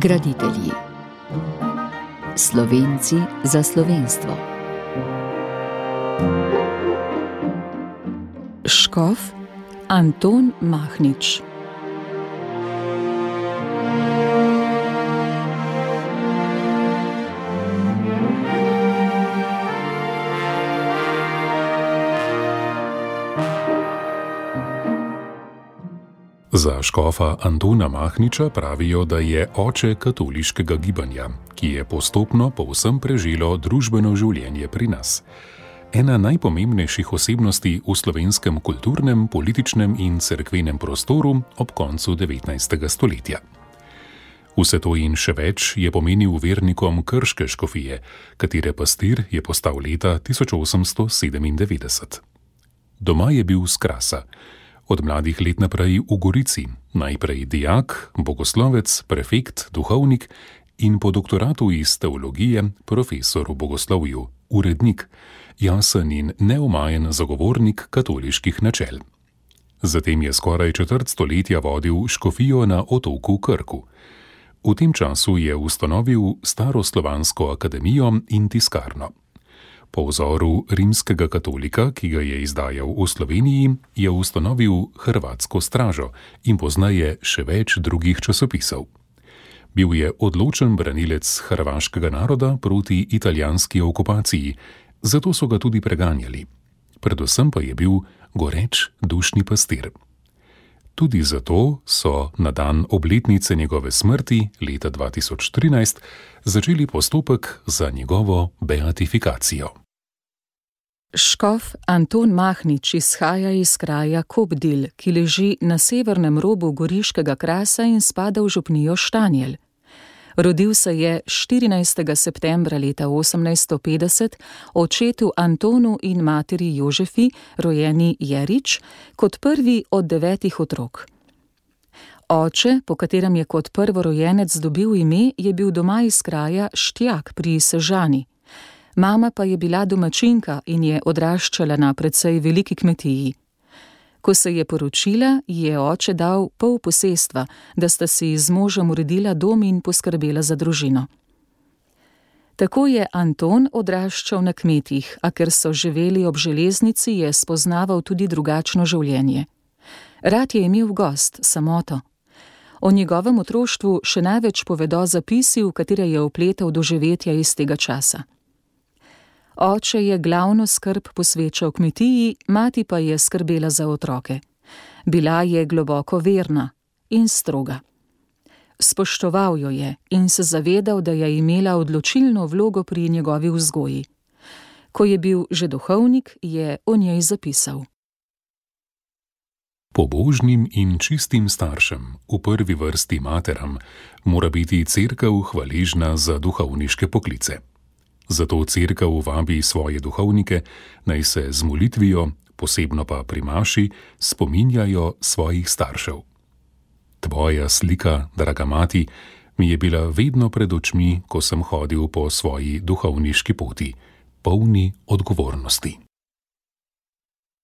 Graditelji. Slovenci za slovenstvo. Škof Anton Mahnič. Za škofa Antona Mahniča pravijo, da je oče katoliškega gibanja, ki je postopno povsem preželo družbeno življenje pri nas. Ena najpomembnejših osebnosti v slovenskem kulturnem, političnem in cerkvenem prostoru ob koncu 19. stoletja. Vse to in še več je pomenil vernikom krške škofije, katere pastir je postal leta 1897. Doma je bil s Krasa. Od mladih let naprej v Gorici, najprej dijak, bogoslovec, prefekt, duhovnik in po doktoratu iz teologije profesor v bogoslovju, urednik, jasen in neomajen zagovornik katoliških načel. Zatem je skoraj četrt stoletja vodil škofijo na otoku Krku. V tem času je ustanovil Staroslovansko akademijo in tiskarno. Po vzoru rimskega katolika, ki ga je izdajal v Sloveniji, je ustanovil Hrvatsko stražo in pozneje še več drugih časopisov. Bil je odločen branilec hrvaškega naroda proti italijanski okupaciji, zato so ga tudi preganjali. Predvsem pa je bil goreč dušni pastir. Tudi zato so na dan obletnice njegove smrti leta 2013 začeli postopek za njegovo beatifikacijo. Škof Anton Mahnič izhaja iz kraja Kobdil, ki leži na severnem robu Goriškega Krasa in spada v župnijo Štanjel. Rodil se je 14. septembra leta 1850 očetu Antonu in materi Jožefi, rojeni Jerič, kot prvi od 9 otrok. Oče, po katerem je kot prvorojenec dobil ime, je bil doma iz kraja Štjak pri Sežani. Mama pa je bila domačinka in je odraščala na precej veliki kmetiji. Ko se je poročila, je oče dal pol posestva, da sta si z možem uredila dom in poskrbela za družino. Tako je Anton odraščal na kmetih, a ker so živeli ob železnici, je spoznaval tudi drugačno življenje. Rad je imel gost, samoto. O njegovem otroštvu še največ povedo zapisi, v katere je vpletal doživetja iz tega časa. Oče je glavno skrb posvečal kmetiji, mati pa je skrbela za otroke. Bila je globoko verna in stroga. Spoštoval jo je in se zavedal, da je imela odločilno vlogo pri njegovi vzgoji. Ko je bil že duhovnik, je o njej zapisal. Pobožnim in čistim staršem, v prvi vrsti materam, mora biti cerkev hvaležna za duhovniške poklice. Zato cerkev vabi svoje duhovnike, naj se z molitvijo, posebno pa pri maši, spominjajo svojih staršev. Tvoja slika, draga mati, mi je bila vedno pred očmi, ko sem hodil po svoji duhovniški poti, polni odgovornosti.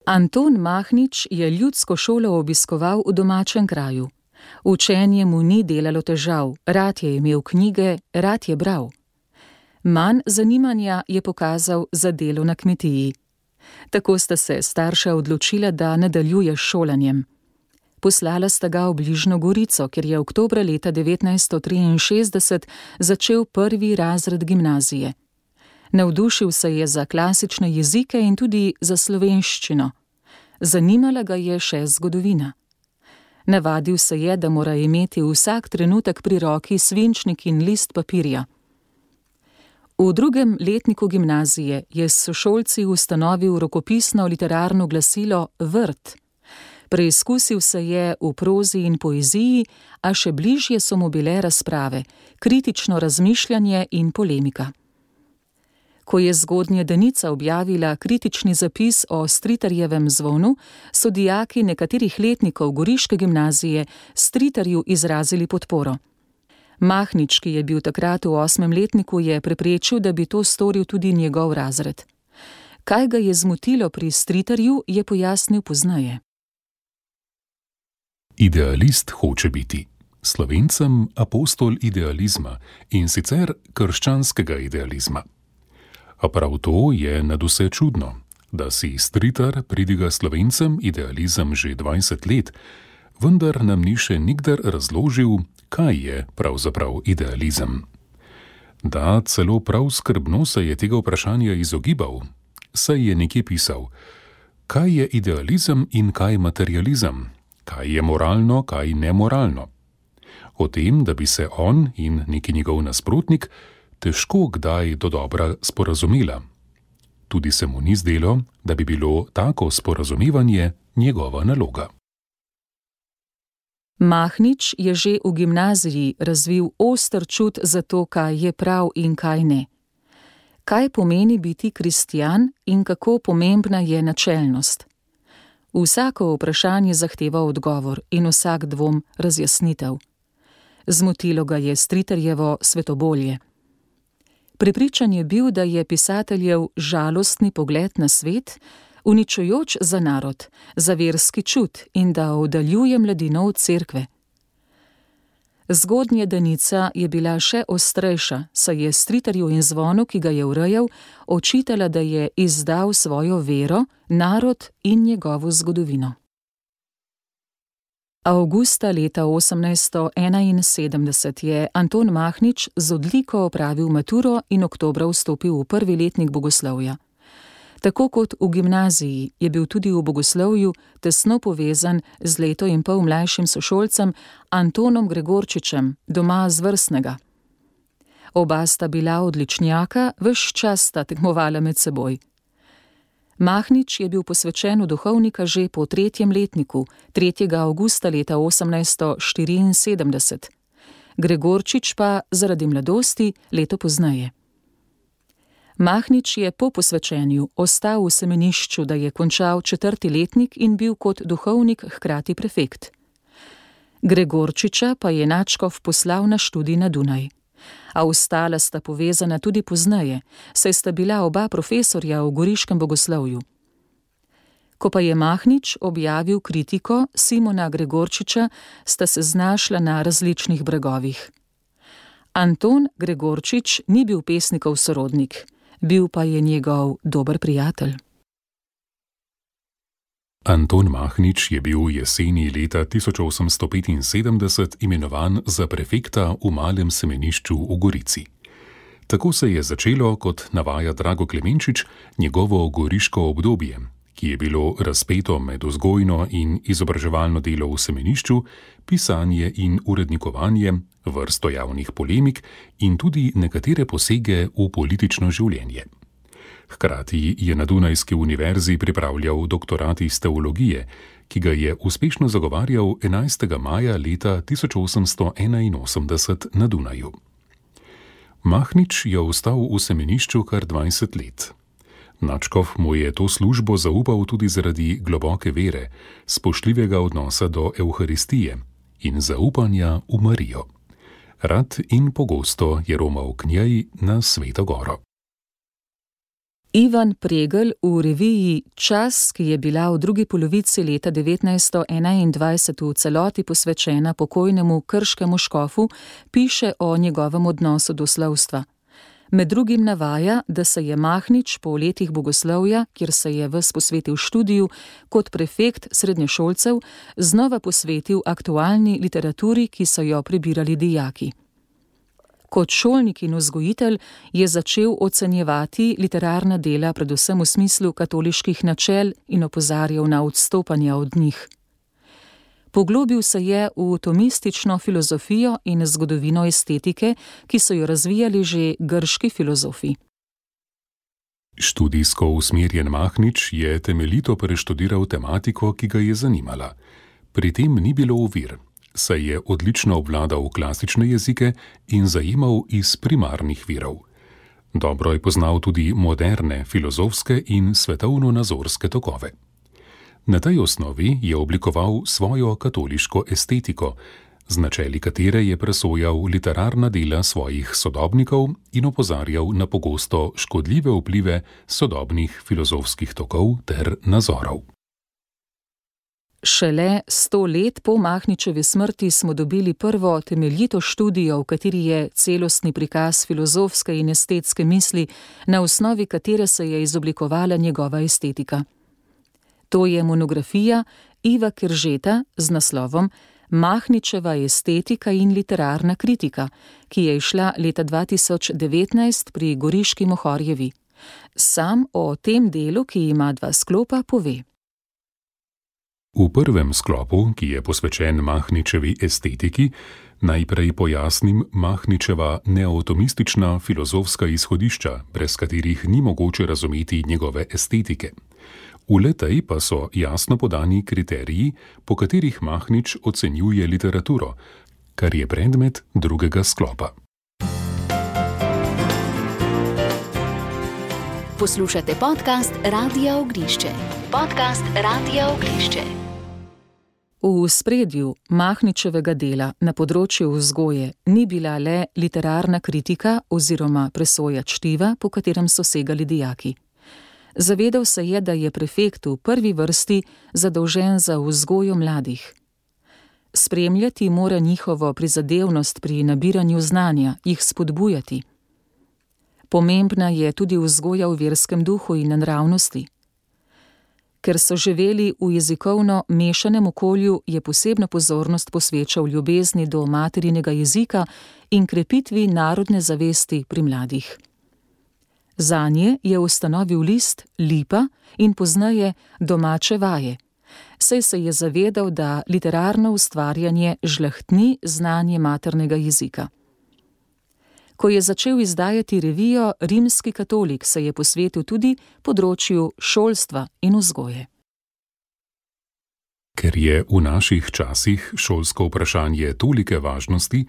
Anton Mahnič je ljudsko šolo obiskoval v domačem kraju. Učenje mu ni delalo težav, rad je imel knjige, rad je bral. Manj zanimanja je pokazal za delo na kmetiji. Tako sta se starša odločila, da nadaljuje s šolanjem. Poslala sta ga v bližnjo Gorico, kjer je oktobra leta 1963 začel 1. razred gimnazije. Navdušil se je za klasične jezike in tudi za slovenščino. Zanimala ga je še zgodovina. Navadil se je, da mora imeti vsak trenutek pri roki svinčnik in list papirja. V 2. letniku gimnazije je s sošolci ustanovil rokopisno literarno glasilo Vrt. Preizkusil se je v prozi in poeziji, a še bližje so mu bile razprave, kritično razmišljanje in polemika. Ko je zgodnje Danica objavila kritični zapis o Stritarjevem zvonu, so dijaki nekaterih letnikov Goriške gimnazije Stritarju izrazili podporo. Mahnič, ki je bil takrat v 8. letniku, je preprečil, da bi to storil tudi njegov razred. Kaj ga je zmotilo pri Stritarju, je pojasnil pozneje. Idealist hoče biti. Slovencem apostol idealizma, in sicer krščanskega idealizma. A prav to je nadvse čudno, da si Stritar pridiga Slovencem idealizem že 20 let, vendar nam ni še nikdar razložil, kaj je pravzaprav idealizem. Da, celo prav skrbno se je tega vprašanja izogibal, saj je nekje pisal: kaj je idealizem in kaj materializem, kaj je moralno, kaj nemoralno. O tem, da bi se on in neki njegov nasprotnik težko kdaj dodobra sporazumela. Tudi se mu ni zdelo, da bi bilo tako sporazumevanje njegova naloga. Mahnič je že v gimnaziji razvil oster čut za to, kaj je prav in kaj ne. Kaj pomeni biti kristjan in kako pomembna je načelnost. Vsako vprašanje zahteva odgovor in vsak dvom razjasnitev. Zmotilo ga je Stritarjevo svetobolje. Prepričan je bil, da je pisateljev žalostni pogled na svet uničujoč za narod, za verski čut in da oddaljuje mladino od cerkve. Zgodnja Danica je bila še ostrejša, saj je Stritarju in Zvonu, ki ga je urejal, očitala, da je izdal svojo vero, narod in njegovo zgodovino. Avgusta leta 1871 je Anton Mahnič z odliko opravil maturo in oktobra vstopil v prvi letnik bogoslovja. Tako kot v gimnaziji je bil tudi v bogoslovju tesno povezan z leto in pol mlajšim sošolcem Antonom Gregorčičem, doma z Vrstnega. Oba sta bila odličnjaka, ves čas sta tekmovala med seboj. Mahnič je bil posvečen v duhovnika že po 3. letniku, 3. avgusta leta 1874. Gregorčič pa zaradi mladosti leto pozneje. Mahnič je po posvečenju ostal v semenišču, da je končal 4. letnik in bil kot duhovnik hkrati prefekt. Gregorčiča pa je nadškof poslal na študij na Dunaj. A ostala sta povezana tudi pozneje, saj sta bila oba profesorja v goriškem bogoslovju. Ko pa je Mahnič objavil kritiko Simona Gregorčiča, sta se znašla na različnih bregovih. Anton Gregorčič ni bil pesnikov sorodnik, bil pa je njegov dober prijatelj. Anton Mahnič je bil jeseni leta 1875 imenovan za prefekta v malem semenišču v Gorici. Tako se je začelo, kot navaja Drago Klemenčič, njegovo goriško obdobje, ki je bilo razpeto med vzgojno in izobraževalno delo v semenišču, pisanje in urednikovanje, vrsto javnih polemik in tudi nekatere posege v politično življenje. Hkrati je na Dunajski univerzi pripravljal doktorat iz teologije, ki ga je uspešno zagovarjal 11. maja leta 1881 na Dunaju. Mahnič je ostal v semenišču kar 20 let. Nadškof mu je to službo zaupal tudi zaradi globoke vere, spoštljivega odnosa do Evharistije in zaupanja v Marijo. Rad in pogosto je romal k njej na Sveto goro. Ivan Pregl v reviji Čas, ki je bila v drugi polovici leta 1921 v celoti posvečena pokojnemu krškemu škofu, piše o njegovem odnosu do slavstva. Med drugim navaja, da se je Mahnič po letih bogoslovja, kjer se je ves posvetil študiju, kot prefekt srednješolcev, znova posvetil aktualni literaturi, ki so jo prebirali dijaki. Kot šolnik in vzgojitelj je začel ocenjevati literarna dela predvsem v smislu katoliških načel in opozarjal na odstopanja od njih. Poglobil se je v tomistično filozofijo in zgodovino estetike, ki so jo razvijali že grški filozofi. Študijsko usmerjen Mahnič je temeljito preštudiral tematiko, ki ga je zanimala. Pri tem ni bilo ovir, saj je odlično obvladal klasične jezike in zajemal iz primarnih virov. Dobro je poznal tudi moderne filozofske in svetovno-nazorske tokove. Na tej osnovi je oblikoval svojo katoliško estetiko, z načeli katere je presojal literarna dela svojih sodobnikov in opozarjal na pogosto škodljive vplive sodobnih filozofskih tokov ter nazorov. Šele 100 let po Mahničevi smrti smo dobili prvo temeljito študijo, v kateri je celostni prikaz filozofske in estetske misli, na osnovi katere se je izoblikovala njegova estetika. To je monografija Iva Keržeta z naslovom Mahničeva estetika in literarna kritika, ki je izšla leta 2019 pri Goriški Mohorjevi. Sam o tem delu, ki ima 2 sklopa, pove. V prvem sklopu, ki je posvečen Mahničevi estetiki, najprej pojasnim Mahničeva neotomistična filozofska izhodišča, brez katerih ni mogoče razumeti njegove estetike. V le-tej pa so jasno podani kriteriji, po katerih Mahnič ocenjuje literaturo, kar je predmet drugega sklopa. Poslušate podcast Radia Ognišče. Podcast Radia Ognišče. V spredju Mahničevega dela na področju vzgoje ni bila le literarna kritika oziroma presoja čtiva, po katerem so segali dijaki. Zavedal se je, da je prefekt v prvi vrsti zadolžen za vzgojo mladih. Spremljati mora njihovo prizadevnost pri nabiranju znanja, jih spodbujati. Pomembna je tudi vzgoja v verskem duhu in nravnosti. Ker so živeli v jezikovno mešanem okolju, je posebno pozornost posvečal ljubezni do materinega jezika in krepitvi narodne zavesti pri mladih. Zanje je ustanovil list Lipa in pozneje Domače vaje, saj se je zavedal, da literarno ustvarjanje žlahtni znanje maternega jezika. Ko je začel izdajati revijo Rimski katolik, se je posvetil tudi področju šolstva in vzgoje. Ker je v naših časih šolsko vprašanje tolike važnosti,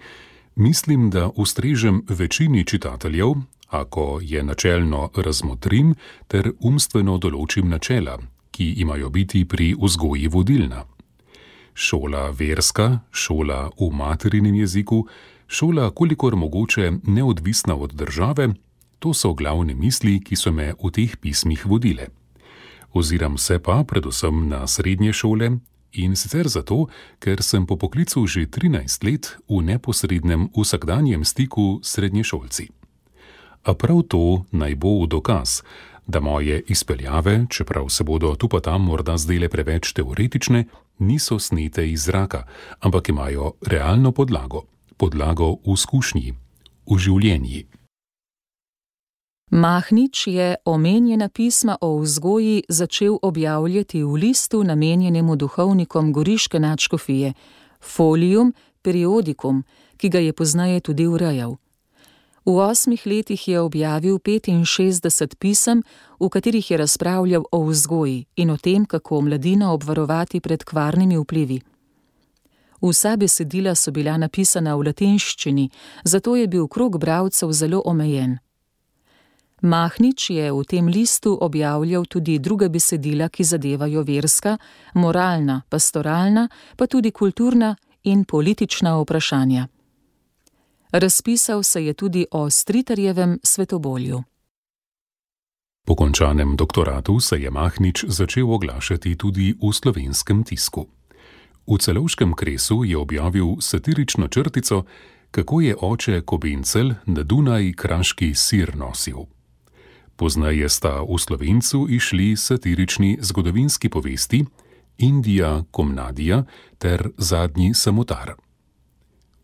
mislim, da ustrežem večini čitateljev, ako je načelno razmotrim ter umstveno določim načela, ki imajo biti pri vzgoji vodilna. Šola verska, šola v materinem jeziku, šola kolikor mogoče neodvisna od države, to so glavne misli, ki so me v teh pismih vodile. Oziram se pa predvsem na srednje šole in sicer zato, ker sem po poklicu že 13 let v neposrednem vsakdanjem stiku s srednješolci. A prav to naj bo v dokaz, da moje izpeljave, čeprav se bodo tu pa tam morda zdele preveč teoretične, niso snete iz zraka, ampak imajo realno podlago v izkušnji, v življenji. Mahnič je omenjena pisma o vzgoji začel objavljati v listu namenjenemu duhovnikom goriške nadškofije, Folium Periodicum, ki ga je pozneje tudi urejal. V 8 letih je objavil 65 pisem, v katerih je razpravljal o vzgoji in o tem, kako mladino obvarovati pred kvarnimi vplivi. Vsa besedila so bila napisana v latinščini, zato je bil krog bralcev zelo omejen. Mahnič je v tem listu objavljal tudi druga besedila, ki zadevajo verska, moralna, pastoralna, pa tudi kulturna in politična vprašanja. Razpisal se je tudi o Stritarjevem svetobolju. Po končanem doktoratu se je Mahnič začel oglašati tudi v slovenskem tisku. V Celovškem kresu je objavil satirično črtico, kako je oče Kobencel na Dunaj kraški sir nosil. Pozneje sta v Slovencu išli satirični zgodovinski povesti Indija Komnadija ter Zadnji samotar.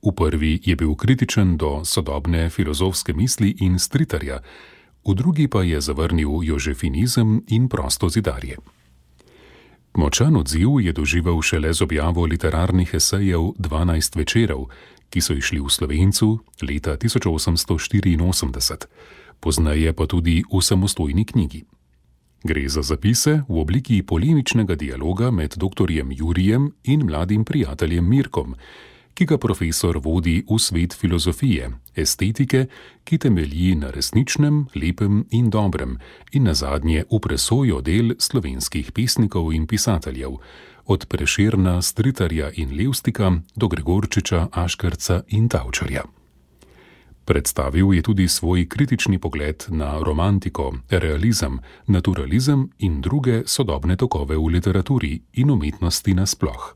V prvi je bil kritičen do sodobne filozofske misli in Stritarja, v drugi pa je zavrnil jožefinizem in prostozidarje. Močan odziv je doživel šele z objavo literarnih esejev 12 večerov, ki so išli v Slovencu leta 1884, pozneje pa tudi v samostojni knjigi. Gre za zapise v obliki polemičnega dialoga med doktorjem Jurijem in mladim prijateljem Mirkom, ki ga profesor vodi v svet filozofije, estetike, ki temelji na resničnem, lepem in dobrem in nazadnje v presojo del slovenskih pesnikov in pisateljev, od Prešerna, Stritarja in Levstika do Gregorčiča, Aškerca in Tavčarja. Predstavil je tudi svoj kritični pogled na romantiko, realizem, naturalizem in druge sodobne tokove v literaturi in umetnosti nasploh.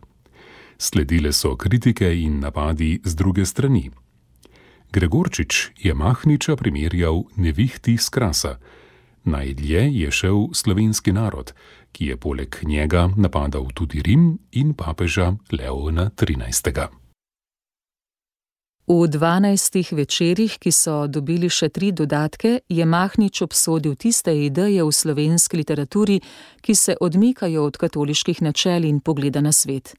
Sledile so kritike in napadi z druge strani. Gregorčič je Mahniča primerjal nevihti s Krasa. Najdlje je šel slovenski narod, ki je poleg njega napadal tudi Rim in papeža Leona XIII. V 12 večerih, ki so dobili še 3 dodatke, je Mahnič obsodil tiste ideje v slovenski literaturi, ki se odmikajo od katoliških načel in pogleda na svet.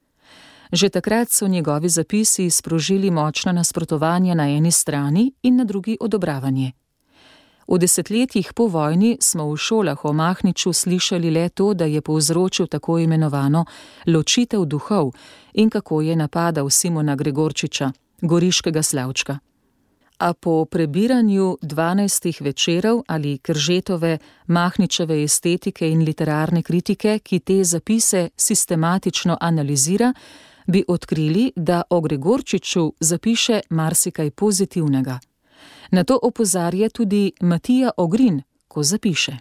Že takrat so njegovi zapisi sprožili močna nasprotovanja na eni strani in na drugi odobravanje. V desetletjih po vojni smo v šolah o Mahniču slišali le to, da je povzročil tako imenovano ločitev duhov in kako je napadal Simona Gregorčiča, goriškega slavčka. A po prebiranju 12 večerov ali Kržetove, Mahničeve estetike in literarne kritike, ki te zapise sistematično analizira, bi odkrili, da o Gregorčiču zapiše marsikaj pozitivnega. Na to opozarja tudi Matija Ogrin, ko zapiše.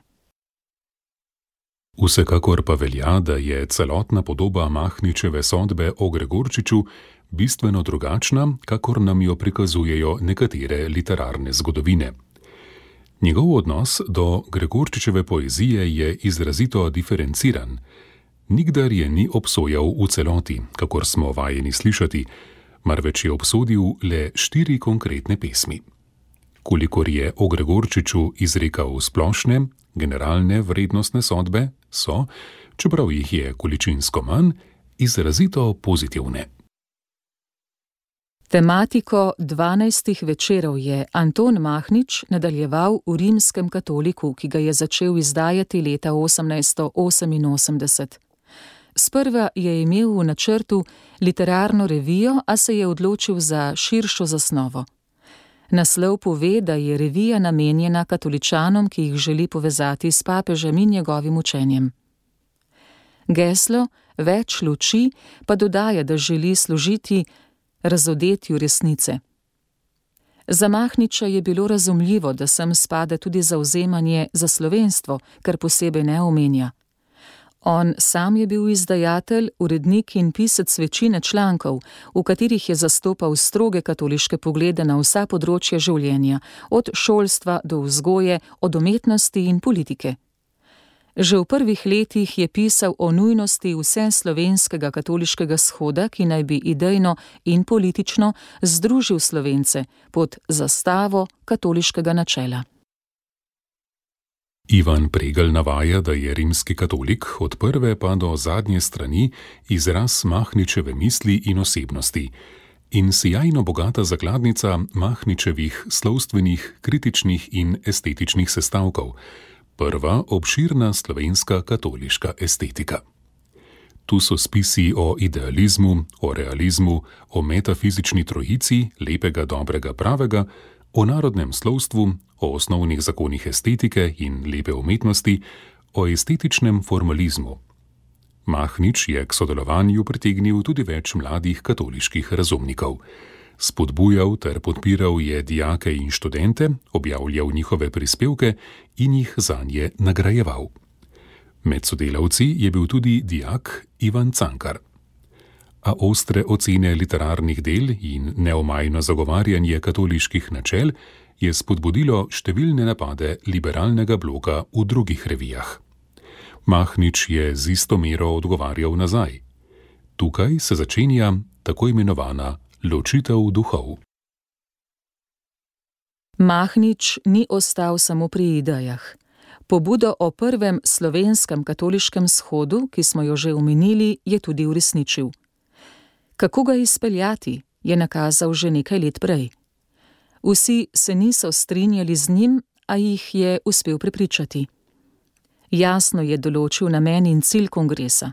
Vsekakor pa velja, da je celotna podoba Mahničeve sodbe o Gregorčiču bistveno drugačna, kakor nam jo prikazujejo nekatere literarne zgodovine. Njegov odnos do Gregorčičeve poezije je izrazito diferenciran. Nikdar je ni obsojal v celoti, kakor smo vajeni slišati, marveč je obsodil le 4 konkretne pesmi. Kolikor je o Gregorčiču izrekal splošne, generalne vrednostne sodbe, so, čeprav jih je količinsko manj, izrazito pozitivne. Tematiko 12 večerov je Anton Mahnič nadaljeval v Rimskem katoliku, ki ga je začel izdajati leta 1888. Sprva je imel v načrtu literarno revijo, a se je odločil za širšo zasnovo. Naslov pove, da je revija namenjena katoličanom, ki jih želi povezati s papežem in njegovim učenjem. Geslo Več luči pa dodaja, da želi služiti razodetju resnice. Za Mahniča je bilo razumljivo, da sem spada tudi zavzemanje za slovenstvo, kar posebej ne omenja. On sam je bil izdajatelj, urednik in pisec večine člankov, v katerih je zastopal stroge katoliške poglede na vsa področja življenja, od šolstva do vzgoje, od umetnosti in politike. Že v prvih letih je pisal o nujnosti vseslovenskega katoliškega shoda, ki naj bi idejno in politično združil Slovence pod zastavo katoliškega načela. Ivan Pregl navaja, da je rimski katolik od prve pa do zadnje strani izraz Mahničeve misli in osebnosti in sijajno bogata zakladnica Mahničevih slovstvenih, kritičnih in estetičnih sestavkov, prva obširna slovenska katoliška estetika. Tu so spisi o idealizmu, o realizmu, o metafizični trojici, lepega, dobrega, pravega, o narodnem slovstvu, o osnovnih zakonih estetike in lepe umetnosti, o estetičnem formalizmu. Mahnič je k sodelovanju pritegnil tudi več mladih katoliških razumnikov. Spodbujal ter podpiral je dijake in študente, objavljal njihove prispevke in jih zanje nagrajeval. Med sodelavci je bil tudi dijak Ivan Cankar. A ostre ocene literarnih del in neomajno zagovarjanje katoliških načel je spodbudilo številne napade liberalnega bloka v drugih revijah. Mahnič je z isto mero odgovarjal nazaj. Tukaj se začenja tako imenovana ločitev duhov. Mahnič ni ostal samo pri idejah. Pobudo o prvem slovenskem katoliškem shodu, ki smo jo že omenili, je tudi uresničil. Kako ga izpeljati, je nakazal že nekaj let prej. Vsi se niso strinjali z njim, a jih je uspel prepričati. Jasno je določil namen in cilj kongresa.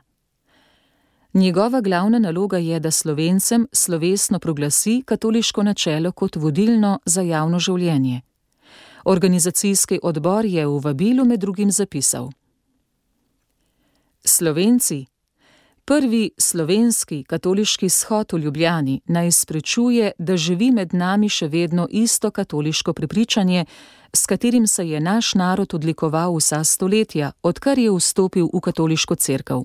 Njegova glavna naloga je, da Slovencem slovesno proglasi katoliško načelo kot vodilno za javno življenje. Organizacijski odbor je v vabilu med drugim zapisal: Slovenci, Prvi slovenski katoliški shod v Ljubljani naj izpričuje, da živi med nami še vedno isto katoliško prepričanje, s katerim se je naš narod odlikoval vsa stoletja, odkar je vstopil v katoliško cerkev.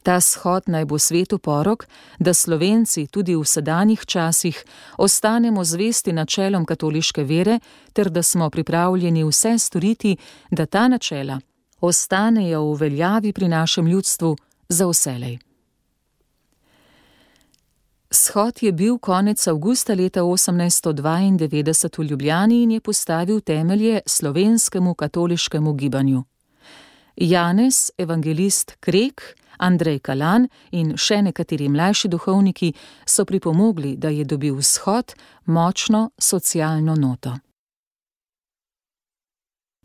Ta shod naj bo svetu porok, da Slovenci tudi v sedanjih časih ostanemo zvesti načelom katoliške vere, ter da smo pripravljeni vse storiti, da ta načela ostanejo v veljavi pri našem ljudstvu za vselej. Shod je bil konec avgusta leta 1892 v Ljubljani in je postavil temelje slovenskemu katoliškemu gibanju. Janez, evangelist Krek, Andrej Kalan in še nekateri mlajši duhovniki so pripomogli, da je dobil shod močno socialno noto.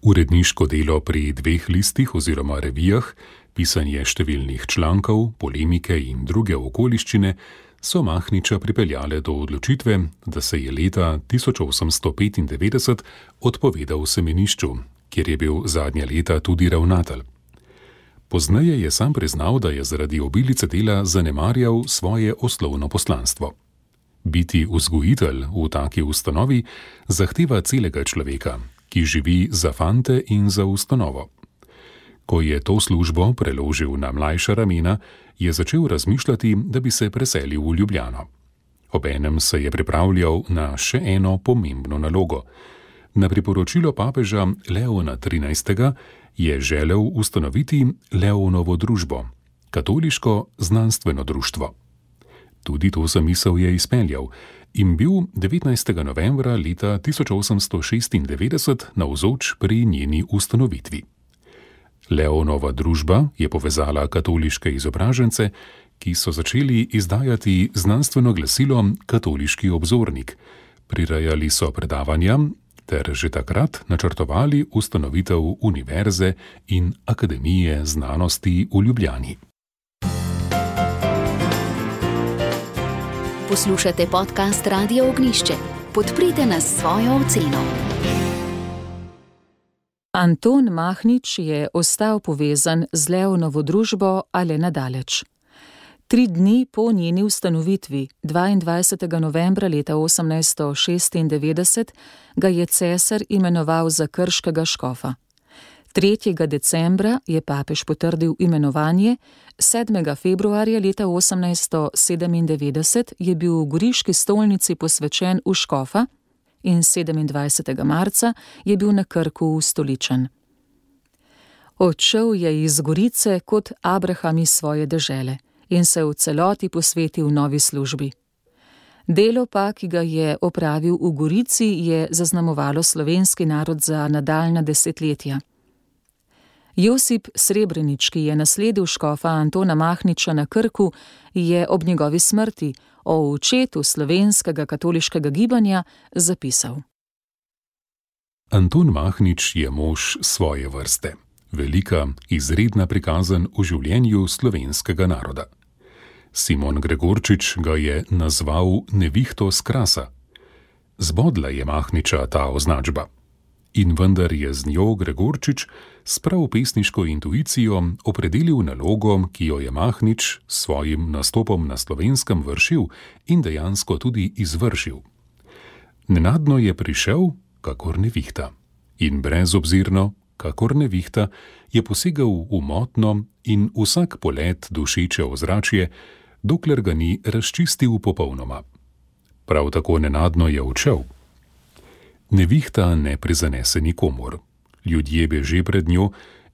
Uredniško delo pri 2 listih oziroma revijah, pisanje številnih člankov, polemike in druge okoliščine so Mahniča pripeljale do odločitve, da se je leta 1895 odpovedal semenišču, kjer je bil zadnja leta tudi ravnatelj. Pozneje je sam priznal, da je zaradi obilice dela zanemarjal svoje osnovno poslanstvo. Biti vzgojitelj v taki ustanovi zahteva celega človeka, ki živi za fante in za ustanovo. Ko je to službo preložil na mlajša ramena, je začel razmišljati, da bi se preselil v Ljubljano. Obenem se je pripravljal na še eno pomembno nalogo. Na priporočilo papeža Leona XIII. Je želel ustanoviti Leonovo družbo, katoliško znanstveno društvo. Tudi to zamisel je izpeljal in bil 19. novembra leta 1896 navzoč pri njeni ustanovitvi. Leonova družba je povezala katoliške izobražence, ki so začeli izdajati znanstveno glasilo Katoliški obzornik, prirejali so predavanja ter že takrat načrtovali ustanovitev univerze in akademije znanosti v Ljubljani. Poslušate podcast Radia Ognjišče. Podprite nas s svojo oceno. Anton Mahnič je ostal povezan z Leonovo družbo, a le nadaleč. 3 dni po njeni ustanovitvi, 22. novembra leta 1896, ga je cesar imenoval za krškega škofa. 3. decembra je papež potrdil imenovanje, 7. februarja leta 1897 je bil v goriški stolnici posvečen v škofa in 27. marca je bil na Krku ustoličen. Odšel je iz Gorice kot Abraham iz svoje dežele in se v celoti posvetil novi službi. Delo pa, ki ga je opravil v Gorici, je zaznamovalo slovenski narod za nadaljnja desetletja. Josip Srebrenič, ki je nasledil škofa Antona Mahniča na Krku, je ob njegovi smrti o očetu slovenskega katoliškega gibanja zapisal: Anton Mahnič je mož svoje vrste, velika, izredna prikazan v življenju slovenskega naroda. Simon Gregorčič ga je nazval nevihto s Krasa. Zbodla je Mahniča ta označba. In vendar je z njo Gregorčič s prav pesniško intuicijo opredelil nalogo, ki jo je Mahnič s svojim nastopom na Slovenskem vršil in dejansko tudi izvršil. Nenadno je prišel, kakor nevihta, in brezobzirno, kakor nevihta, je posegal v motno in vsak polet dušeče ozračje, dokler ga ni razčistil popolnoma. Prav tako nenadno je odšel. Nevihta ne prizanese nikomur. Ljudje beže pred njo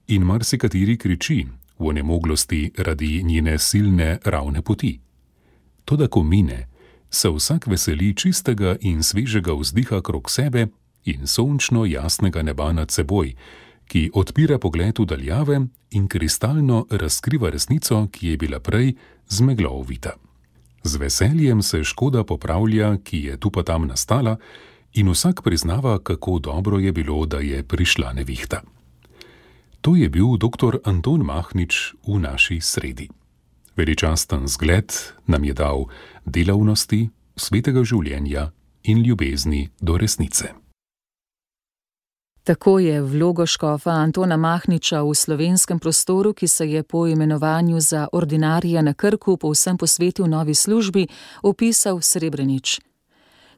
in marsikateri kriči v onemoglosti radi njene silne ravne poti. Toda ko mine, se vsak veseli čistega in svežega vzdiha krog sebe in sončno jasnega neba nad seboj, ki odpira pogled v daljave in kristalno razkriva resnico, ki je bila prej z meglo ovita. Z veseljem se škoda popravlja, ki je tu pa tam nastala, in vsak priznava, kako dobro je bilo, da je prišla nevihta. To je bil dr. Anton Mahnič v naši sredi. Veličasten zgled nam je dal delavnosti, svetega življenja in ljubezni do resnice. Tako je vlogo škofa Antona Mahniča v slovenskem prostoru, ki se je po imenovanju za ordinarija na Krku povsem posvetil novi službi, opisal Srebrenič.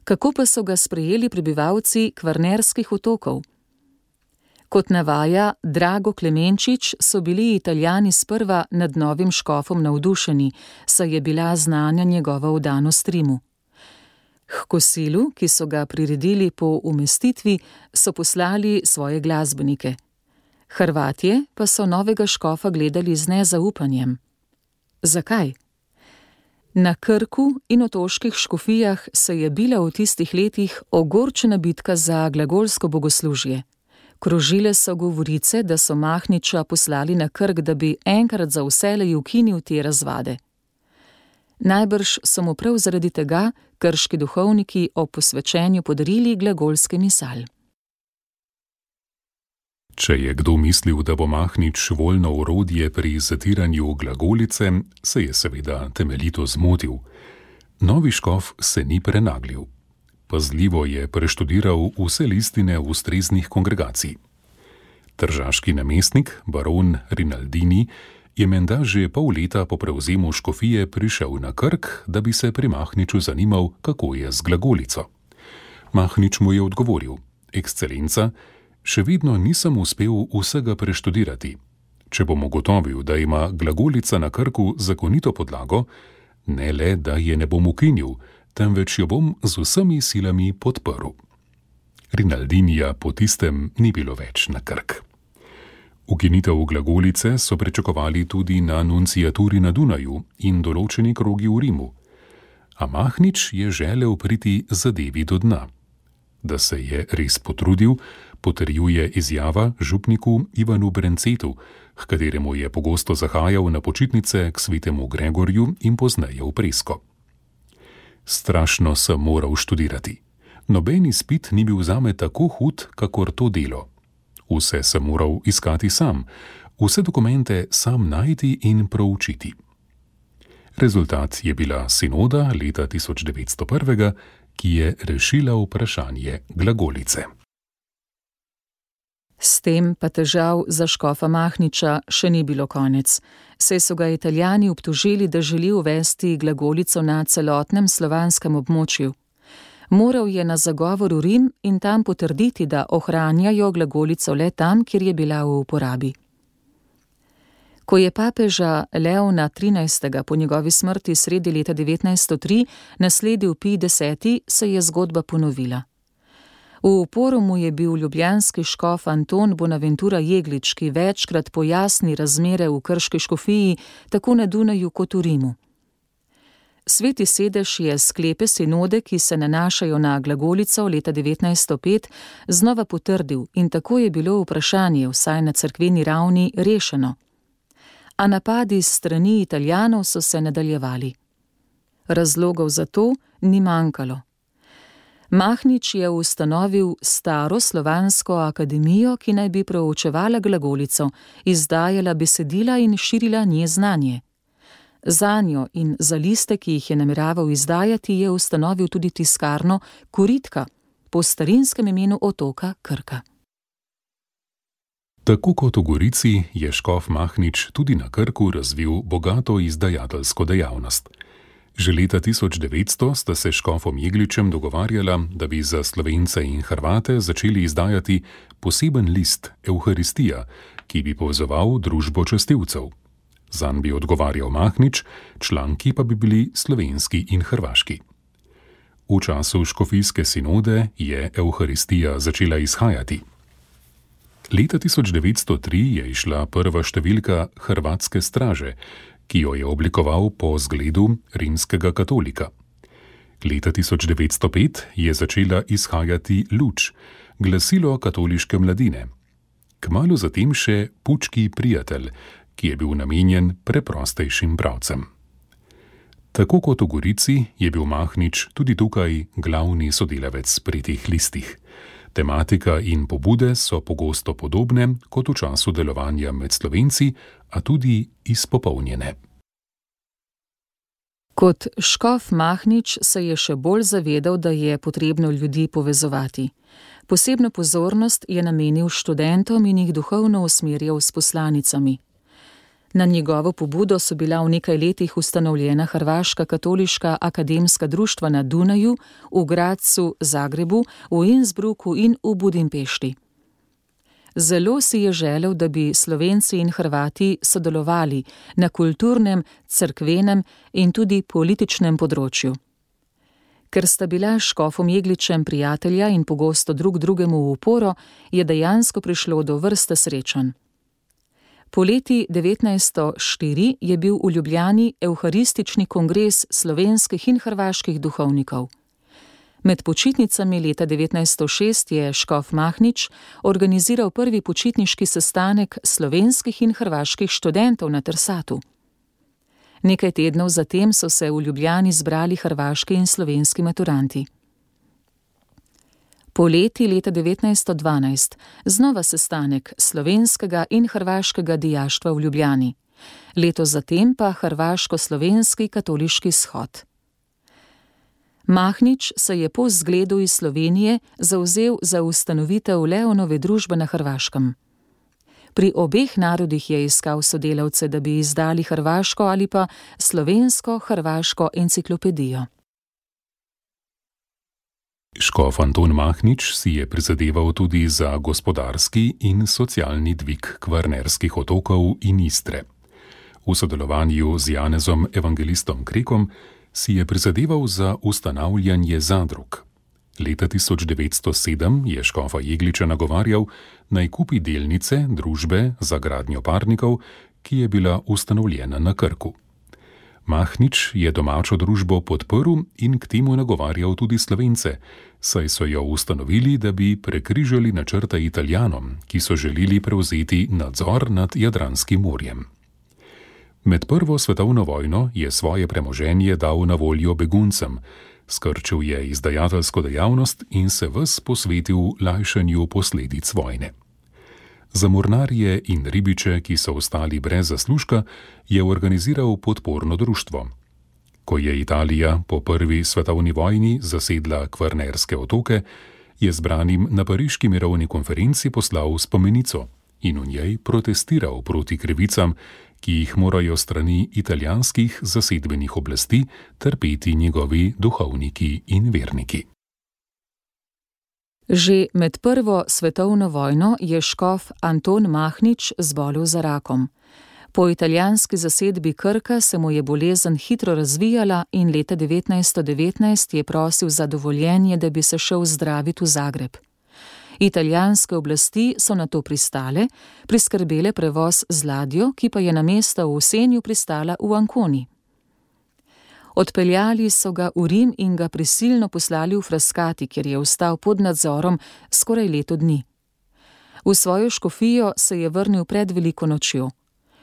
Kako pa so ga sprejeli prebivalci Kvarnerskih otokov? Kot navaja Drago Klemenčič, so bili Italijani sprva nad novim škofom navdušeni, saj je bila znana njegova vdanost Rimu. H kosilu, ki so ga priredili po umestitvi, so poslali svoje glasbenike. Hrvatje pa so novega škofa gledali z nezaupanjem. Zakaj? Na Krku in otoških škofijah se je bila v tistih letih ogorčena bitka za glagolsko bogoslužje. Krožile so govorice, da so Mahniča poslali na Krk, da bi enkrat za vselej ukinil te razvade. Najbrž so mu prav zaradi tega krški duhovniki ob posvečenju podarili glagolski misal. Če je kdo mislil, da bo Mahnič voljno orodje pri zatiranju glagolice, se je seveda temeljito zmotil. Novi škof se ni prenaglil. Pazljivo je preštudiral vse listine ustreznih kongregacij. Tržaški namestnik, baron Rinaldini, je menda že pol leta po prevzemu škofije prišel na Krk, da bi se pri Mahniču zanimal, kako je z glagolico. Mahnič mu je odgovoril: Ekscelenca, še vedno nisem uspel vsega preštudirati. Če bom ugotovil, da ima glagolica na Krku zakonito podlago, ne le, da je ne bom ukinil, temveč jo bom z vsemi silami podprl. Rinaldinija po tistem ni bilo več na Krk. Ukinitev glagolice so pričakovali tudi na nunciaturi na Dunaju in določeni krogi v Rimu. A Mahnič je želel priti zadevi do dna. Da se je res potrudil, potrjuje izjava župniku Ivanu Brencetu, h kateremu je pogosto zahajal na počitnice k svetemu Gregorju in pozneje v Presko. Strašno sem moral študirati. Noben izpit ni bil zame tako hud, kakor to delo. Vse sem moral iskati sam, vse dokumente sam najti in proučiti. Rezultat je bila sinoda leta 1901, ki je rešila vprašanje glagolice. S tem pa težav za škofa Mahniča še ni bilo konec, saj so ga Italijani obtožili, da želi uvesti glagolico na celotnem slovanskem območju. Moral je na zagovor v Rim in tam potrditi, da ohranjajo glagolico le tam, kjer je bila v uporabi. Ko je papeža Leona XIII. Po njegovi smrti sredi leta 1903 nasledil Pij X, se je zgodba ponovila. V uporu mu je bil ljubljanski škof Anton Bonaventura Jeglič, ki večkrat pojasni razmere v krški škofiji, tako na Dunaju kot v Rimu. Sveti sedež je sklepe sinode, ki se nanašajo na glagolico leta 1905, znova potrdil in tako je bilo vprašanje, vsaj na cerkveni ravni, rešeno. A napadi s strani Italijanov so se nadaljevali. Razlogov za to ni manjkalo. Mahnič je ustanovil staro slovansko akademijo, ki naj bi proučevala glagolico, izdajala besedila in širila nje znanje. Zanjo in za liste, ki jih je nameraval izdajati, je ustanovil tudi tiskarno Koritka, po starinskem imenu otoka Krka. Tako kot v Gorici je škof Mahnič tudi na Krku razvil bogato izdajateljsko dejavnost. Že leta 1900 sta se s škofom Jegličem dogovarjala, da bi za Slovence in Hrvate začeli izdajati poseben list Evharistija, ki bi povezoval družbo častilcev. Zanj bi odgovarjal Mahnič, članki pa bi bili slovenski in hrvaški. V času škofijske sinode je Evharistija začela izhajati. Leta 1903 je izšla prva številka Hrvatske straže, ki jo je oblikoval po zgledu rimskega katolika. Leta 1905 je začela izhajati Luč, glasilo katoliške mladine. Kmalu zatem še Pučki prijatelj, ki je bil namenjen preprostejšim bralcem. Tako kot v Gorici je bil Mahnič tudi tukaj glavni sodelavec pri teh listih. Tematika in pobude so pogosto podobne kot v času delovanja med Slovenci, a tudi izpopolnjene. Kot škof Mahnič se je še bolj zavedal, da je potrebno ljudi povezovati. Posebno pozornost je namenil študentom in jih duhovno usmerjal s poslanicami. Na njegovo pobudo so bila v nekaj letih ustanovljena Hrvaška katoliška akademska društva na Dunaju, v Gradcu, Zagrebu, v Innsbrucku in v Budimpešti. Zelo si je želel, da bi Slovenci in Hrvati sodelovali na kulturnem, cerkvenem in tudi političnem področju. Ker sta bila s škofom Jegličem prijatelja in pogosto drug drugemu v oporo, je dejansko prišlo do vrste srečanj. Poleti 1904 je bil v Ljubljani evharistični kongres slovenskih in hrvaških duhovnikov. Med počitnicami leta 1906 je škof Mahnič organiziral prvi počitniški sestanek slovenskih in hrvaških študentov na Trsatu. Nekaj tednov zatem so se v Ljubljani zbrali hrvaški in slovenski maturanti. Poleti leta 1912 znova sestanek slovenskega in hrvaškega dijaštva v Ljubljani, leto zatem pa hrvaško-slovenski katoliški shod. Mahnič se je po zgledu iz Slovenije zavzel za ustanovitev Leonove družbe na Hrvaškem. Pri obeh narodih je iskal sodelavce, da bi izdali hrvaško ali pa slovensko-hrvaško enciklopedijo. Škof Anton Mahnič si je prizadeval tudi za gospodarski in socialni dvig Kvarnerskih otokov in Istre. V sodelovanju z Janezom evangelistom Krekom si je prizadeval za ustanavljanje zadrug. Leta 1907 je škofa Jegliča nagovarjal, naj kupi delnice družbe za gradnjo parnikov, ki je bila ustanovljena na Krku. Mahnič je domačo družbo podprl in k temu nagovarjal tudi Slovence, saj so jo ustanovili, da bi prekrižali načrta Italijanom, ki so želeli prevzeti nadzor nad Jadranskim morjem. Med prvo svetovno vojno je svoje premoženje dal na voljo beguncem, skrčil je izdajateljsko dejavnost in se ves posvetil lajšanju posledic vojne. Za mornarje in ribiče, ki so ostali brez zaslužka, je organiziral podporno društvo. Ko je Italija po prvi svetovni vojni zasedla Kvarnerske otoke, je zbranim na pariški mirovni konferenci poslal spomenico in v njej protestiral proti krivicam, ki jih morajo strani italijanskih zasedbenih oblasti trpeti njegovi duhovniki in verniki. Že med prvo svetovno vojno je škof Anton Mahnič zbolel za rakom. Po italijanski zasedbi Krka se mu je bolezen hitro razvijala in leta 1919 je prosil za dovoljenje, da bi se šel zdraviti v Zagreb. Italijanske oblasti so na to pristale, priskrbele prevoz z ladjo, ki pa je namesto v Senju pristala v Anconi. Odpeljali so ga v Rim in ga prisilno poslali v Frascati, kjer je ostal pod nadzorom skoraj leto dni. V svojo škofijo se je vrnil pred veliko nočjo.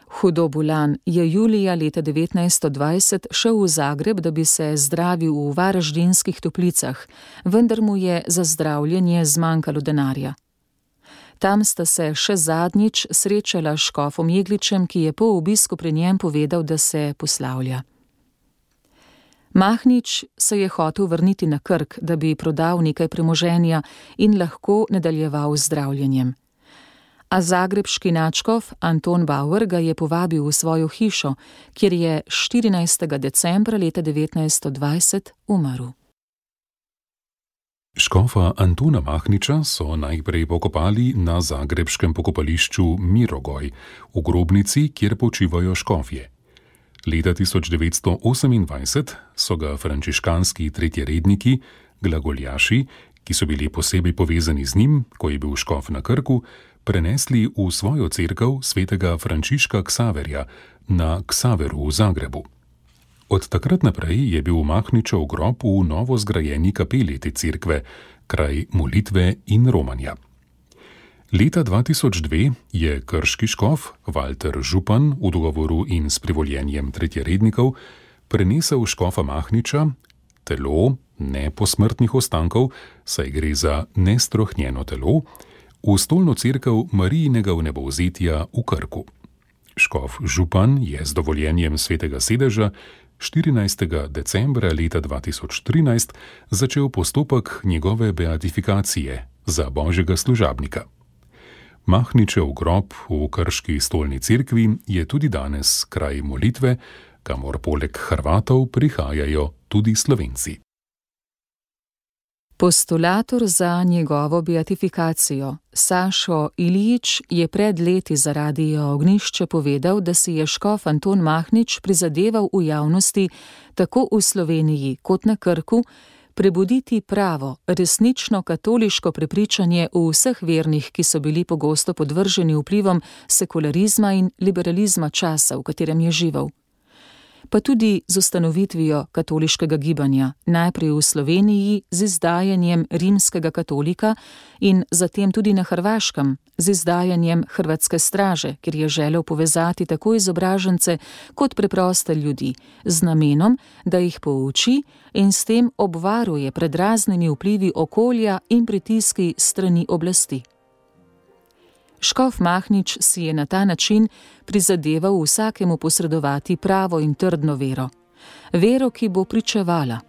Hudo bolan je julija leta 1920 šel v Zagreb, da bi se zdravil v Varaždinskih toplicah, vendar mu je za zdravljenje zmanjkalo denarja. Tam sta se še zadnjič srečala s škofom Jegličem, ki je po obisku pri njem povedal, da se poslavlja. Mahnič se je hotel vrniti na Krk, da bi prodal nekaj premoženja in lahko nadaljeval z zdravljenjem. A zagrebški nadškof Anton Bauer ga je povabil v svojo hišo, kjer je 14. decembra leta 1920 umrl. Škofa Antona Mahniča so najprej pokopali na zagrebškem pokopališču Mirogoj, v grobnici, kjer počivajo škofje. Leta 1928 so ga frančiškanski tretjeredniki, glagoljaši, ki so bili posebej povezani z njim, ko je bil škof na Krku, prenesli v svojo cerkev svetega Frančiška Ksaverja na Ksaveru v Zagrebu. Od takrat naprej je bil Mahničev grob v novo zgrajeni kapeli te cerkve, kraj molitve in romanja. Leta 2002 je krški škof Walter Župan v dogovoru in s privoljenjem tretjerednikov prenesel škofa Mahniča, telo ne posmrtnih ostankov, saj gre za nestrohnjeno telo, v stolno cerkev Marijinega vnebovzetja v Krku. Škof Župan je z dovoljenjem svetega sedeža 14. decembra leta 2013 začel postopek njegove beatifikacije za božjega služabnika. Mahničev grob v krški stolni cerkvi je tudi danes kraj molitve, kamor poleg Hrvatov prihajajo tudi Slovenci. Postulator za njegovo beatifikacijo, Sašo Ilijič, je pred leti za Radio Ognjišče povedal, da si je škof Anton Mahnič prizadeval v javnosti, tako v Sloveniji kot na Krku, prebuditi pravo, resnično katoliško prepričanje v vseh vernih, ki so bili pogosto podvrženi vplivom sekularizma in liberalizma časa, v katerem je živel. Pa tudi z ustanovitvijo katoliškega gibanja, najprej v Sloveniji z izdajanjem Rimskega katolika in zatem tudi na Hrvaškem z izdajanjem Hrvatske straže, kjer je želel povezati tako izobražence kot preproste ljudi, z namenom, da jih pouči in s tem obvaruje pred raznimi vplivi okolja in pritiski strani oblasti. Škof Mahnič si je na ta način prizadeval vsakemu posredovati pravo in trdno vero. Vero, ki bo pričevala.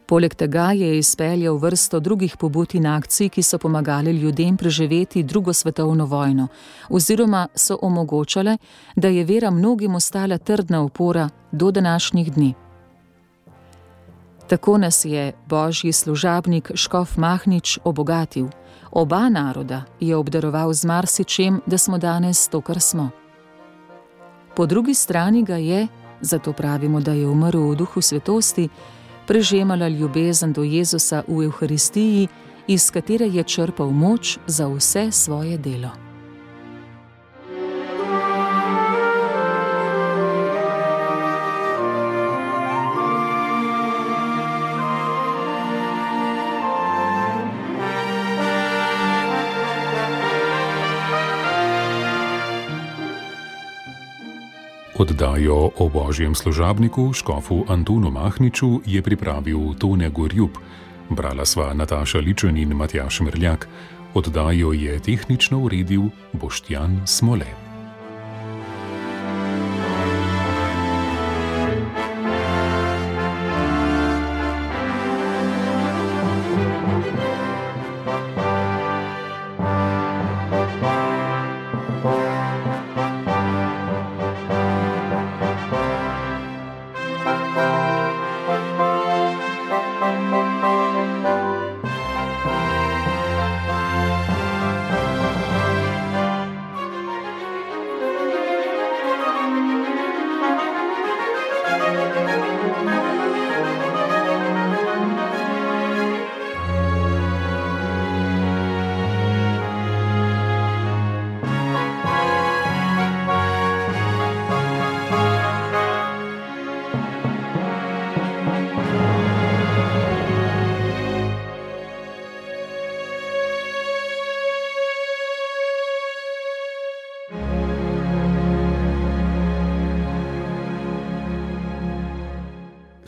Poleg tega je izpeljal vrsto drugih pobud in akcij, ki so pomagali ljudem preživeti drugo svetovno vojno, oziroma so omogočale, da je vera mnogim ostala trdna opora do današnjih dni. Tako nas je božji služabnik škof Mahnič obogatil. Oba naroda je obdaroval z marsičem, da smo danes to, kar smo. Po drugi strani ga je, zato pravimo, da je umrl v duhu svetosti, prežemala ljubezen do Jezusa v Evharistiji, iz katere je črpal moč za vse svoje delo. Oddajo o božjem služabniku škofu Antonu Mahniču je pripravil Tone Gorjup, brala sva Nataša Ličen in Matjaž Merljak, oddajo je tehnično uredil Boštjan Smole.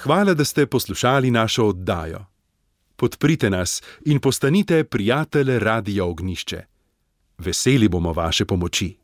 Hvala, da ste poslušali našo oddajo. Podprite nas in postanite prijatelj Radia Ognjišče. Veseli bomo vaše pomoči.